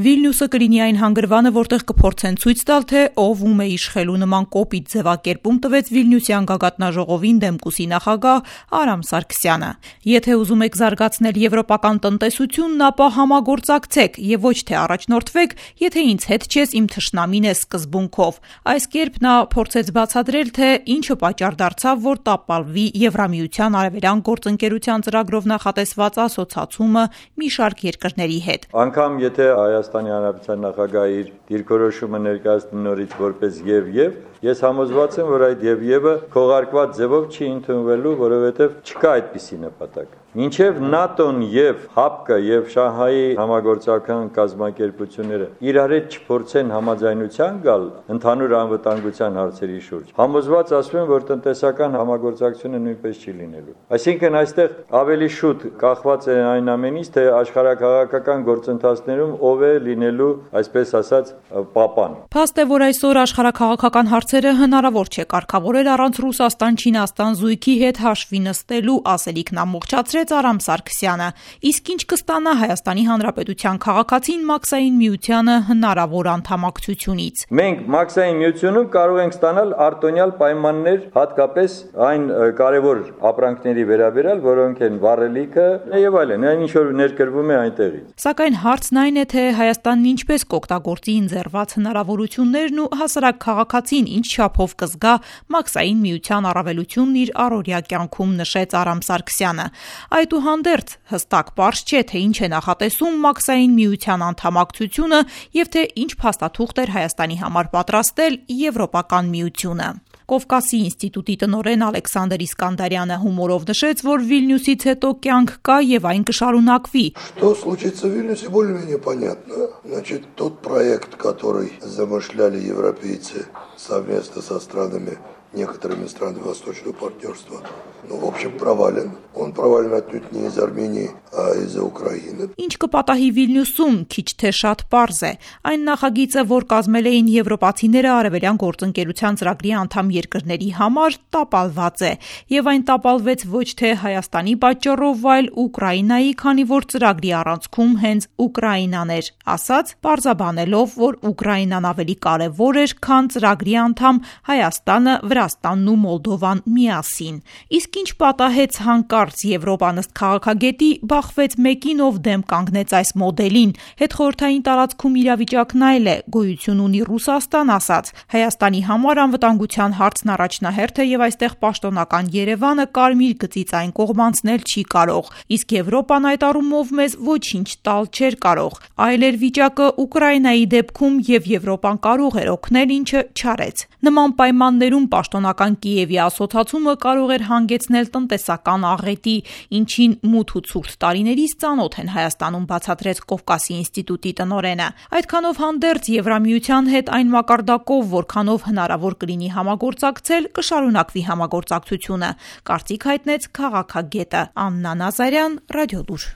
Վիլնյուսը կլինի այն հանգրվանը, որտեղ կփորձեն ցույց տալ, թե ով ում է իշխելու նման կոպիտ ձևակերպում տվեց Վիլնյուսյան գագաթնաժողովին դեմկուսի նախագահ Արամ Սարգսյանը։ Եթե ուզում եք զարգացնել եվրոպական տնտեսությունն, ապա համագործակցեք եւ ոչ թե առաջնորդվեք, եթե ինձ հետ չես, իմ թշնամին է սկզբունքով։ Այս կերպ նա փորձեց բացատրել, թե ինչը պատճառ դարձավ, որ տապալվի Եվրամիության արևելյան գործընկերության ծրագրով նախատեսված ասոցացումը մի շարք երկրների հետ։ Անկամ եթե Հայաստանի Հանրապետության նախագահը իր դիրքորոշումը ներկայացնի նորից որպես եւ, ես համոզված եմ, որ այդ եւ-ը քողարկված ձևով չի ընդունվելու, որովհետեւ չկա այդպիսի նպատակ։ Մինչև ՆԱՏՕ-ն եւ ՀԱՊԿ-ը եւ Շանհայի համագործակցական կազմակերպությունները իրար հետ չփորձեն համաձայնության գալ ընդհանուր անվտանգության հարցերի շուրջ, համոզված ասում եմ, որ տնտեսական համագործակցությունը նույնպես չի լինելու։ Այսինքն այստեղ ավելի շուտ կախված է այն ամենից, թե աշխարհակաղակական գործընթացներում ով է լինելու, այսպես ասած, պապան։ Փաստ է, որ այսօր աշխարհակաղակական հարցերը հնարավոր չէ կարգավորել առանց Ռուսաստան-Չինաստան զույգի հետ հաշվի նստելու, ասելիքն ամբողջացրեց Արամ Սարգսյանը։ Իսկ ինչ կստանա Հայաստանի Հանրապետության քաղաքացին Մաքսային միությանը հնարավոր անդամակցությունից։ Մենք Մաքսային միությունում կարող ենք ստանալ արտոնյալ պայմաններ, հատկապես այն կարևոր ապրանքների վերաբերյալ, որոնք են վառելիքը եւ այլն, այն ինչ որ ներկրվում է այնտեղից։ Սակայն հարցն այն է, թե Հայաստանն ինչպես կօգտագործի ընձեռված հնարավորություններն ու հասարակ քաղաքացին ինչ չափով կզգա Մաքսային միության առավելությունն իր առօրյա կյանքում, նշեց Արամ Սարգսյանը։ Այդուհանդերձ հստակ պարզ չէ, թե ինչ է նախատեսում Մաքսային միության անդամակցությունը եւ թե ինչ փաստաթուղթ էր Հայաստանի համար պատրաստել Եվրոպական միությունը։ Կովկասի ինստիտուտի տնօրեն Ալեքսանդր Իսկանդարյանը հումորով նշեց, որ Վիլնյուսից հետո կյանք կա եւ այն կշարունակվի։ Что случится в Вильнюсе, более-менее понятно. Значит, тот проект, который замышляли европейцы совместно со странами, некоторыми странами Восточного партнерства, в общем, провален. Он провален отнюдь не из Армении, а из-за Украины. Ինչ կպատահի Վիլնյուսում, քիչ թե շատ պարզ է։ Այն նախագիծը, որ կազմել էին եվրոպացիները արևելյան գործընկերության ծրագրի անդամ երկրների համար, տապալված է։ Եվ այն տապալվեց ոչ թե Հայաստանի պատճառով, այլ Ուկրաինայի, քանի որ ծրագրի առանցքում հենց Ուկրաինան էր, ասած պարզաբանելով, որ Ուկրաինան ավելի կարևոր էր, քան ծրագրի անդամ Հայաստանը, Վրաստանն ու Մոլդովան միասին։ Իսկ ինչ պատահեց հանկարծ Եվրոպան ըստ քաղաքագետի բախվեց մեկին, ով դեմ կանգնեց այս մոդելին։ Հետխորհրդային տարածքում իրավիճակն այլ է, գոյություն ունի Ռուսաստան, ասաց։ Հայաստանի համար անվտանգության հարցն առաջնահերթ է եւ այստեղ պաշտոնական Երևանը կարմիր գծից այն կողմանցնել չի կարող։ Իսկ Եվրոպան այդ առումով մեզ ոչինչ տալ չէր կարող։ Այլ էր վիճակը Ուկրաինայի դեպքում եւ Եվրոպան կարող էր օգնել, ինչը չարեց։ Նման պայմաններում պաշտոնական Կիևի ասոցացումը կարող էր հանգեցնել տնտեսական աղետի, ինչին մութ ու ցուրտ տարիներից ծանոթ են Հայաստանում, բացատրեց Կովկասի ինստիտուտի տնօրենը։ Այդքանով հանդերձ Եվրամիության հետ այն մակարդակով, որքանով հնարավոր կլինի համագործակցել, կշարունակվի համագործակցությունը, կարծիք հայտնեց քաղաքագետը Աննա Նազարյան, Ռադիոլուր։